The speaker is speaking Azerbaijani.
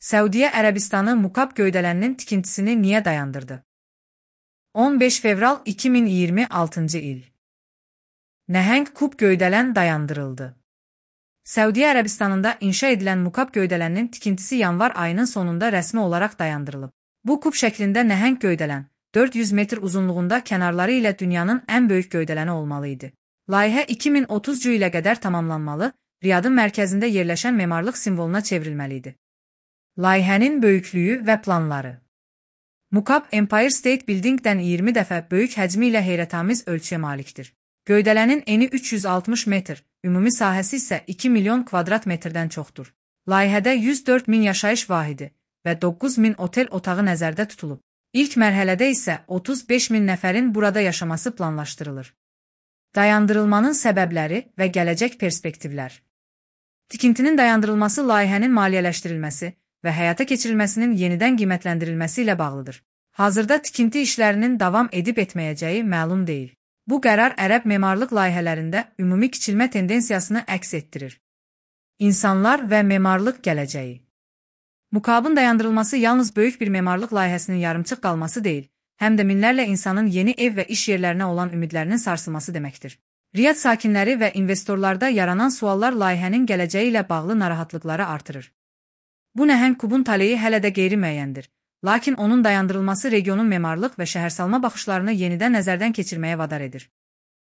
Səudiyyə Ərəbistanı Mukab göydələninin tikintisini niyə dayandırdı? 15 fevral 2026 il. Nəhəng kub göydələn dayandırıldı. Səudiyyə Ərəbistanında inşa edilən Mukab göydələninin tikintisi yanvar ayının sonunda rəsmi olaraq dayandırılıb. Bu kub şəklində nəhəng göydələn, 400 metr uzunluğunda kənarları ilə dünyanın ən böyük göydələni olmalı idi. Layihə 2030 ilə qədər tamamlanmalı, Riyadın mərkəzində yerləşən memarlıq simvoluna çevrilməli idi. Layihənin böyüklüyü və planları. Mukab Empire State Building'dən 20 dəfə böyük həcmi ilə heyrətamiz ölçüyə malikdir. Göydələnin eni 360 metr, ümumi sahəsi isə 2 milyon kvadrat metrdən çoxdur. Layihədə 104 min yaşayış vahidi və 9 min otel otağı nəzərdə tutulub. İlk mərhələdə isə 35 min nəfərin burada yaşaması planlaşdırılır. Dayandırılmanın səbəbləri və gələcək perspektivlər. Tikintinin dayandırılması layihənin maliyyələşdirilməsi və həyata keçirilməsinin yenidən qiymətləndirilməsi ilə bağlıdır. Hazırda tikinti işlərinin davam edib etməyəcəyi məlum deyil. Bu qərar ərəb memarlıq layihələrində ümumi kiçilmə tendensiyasını əks etdirir. İnsanlar və memarlıq gələcəyi. Mukabın dayandırılması yalnız böyük bir memarlıq layihəsinin yarımçıq qalması deyil, həm də minlərlə insanın yeni ev və iş yerlərinə olan ümidlərinin sarsılması deməkdir. Riyad sakinləri və investorlarda yaranan suallar layihənin gələcəyi ilə bağlı narahatlıqları artırır. Bu nəhəng kubun taleyi hələ də qeyri-müəyyəndir, lakin onun dayandırılması regionun memarlıq və şəhərsalma baxışlarını yenidən nəzərdən keçirməyə vadar edir.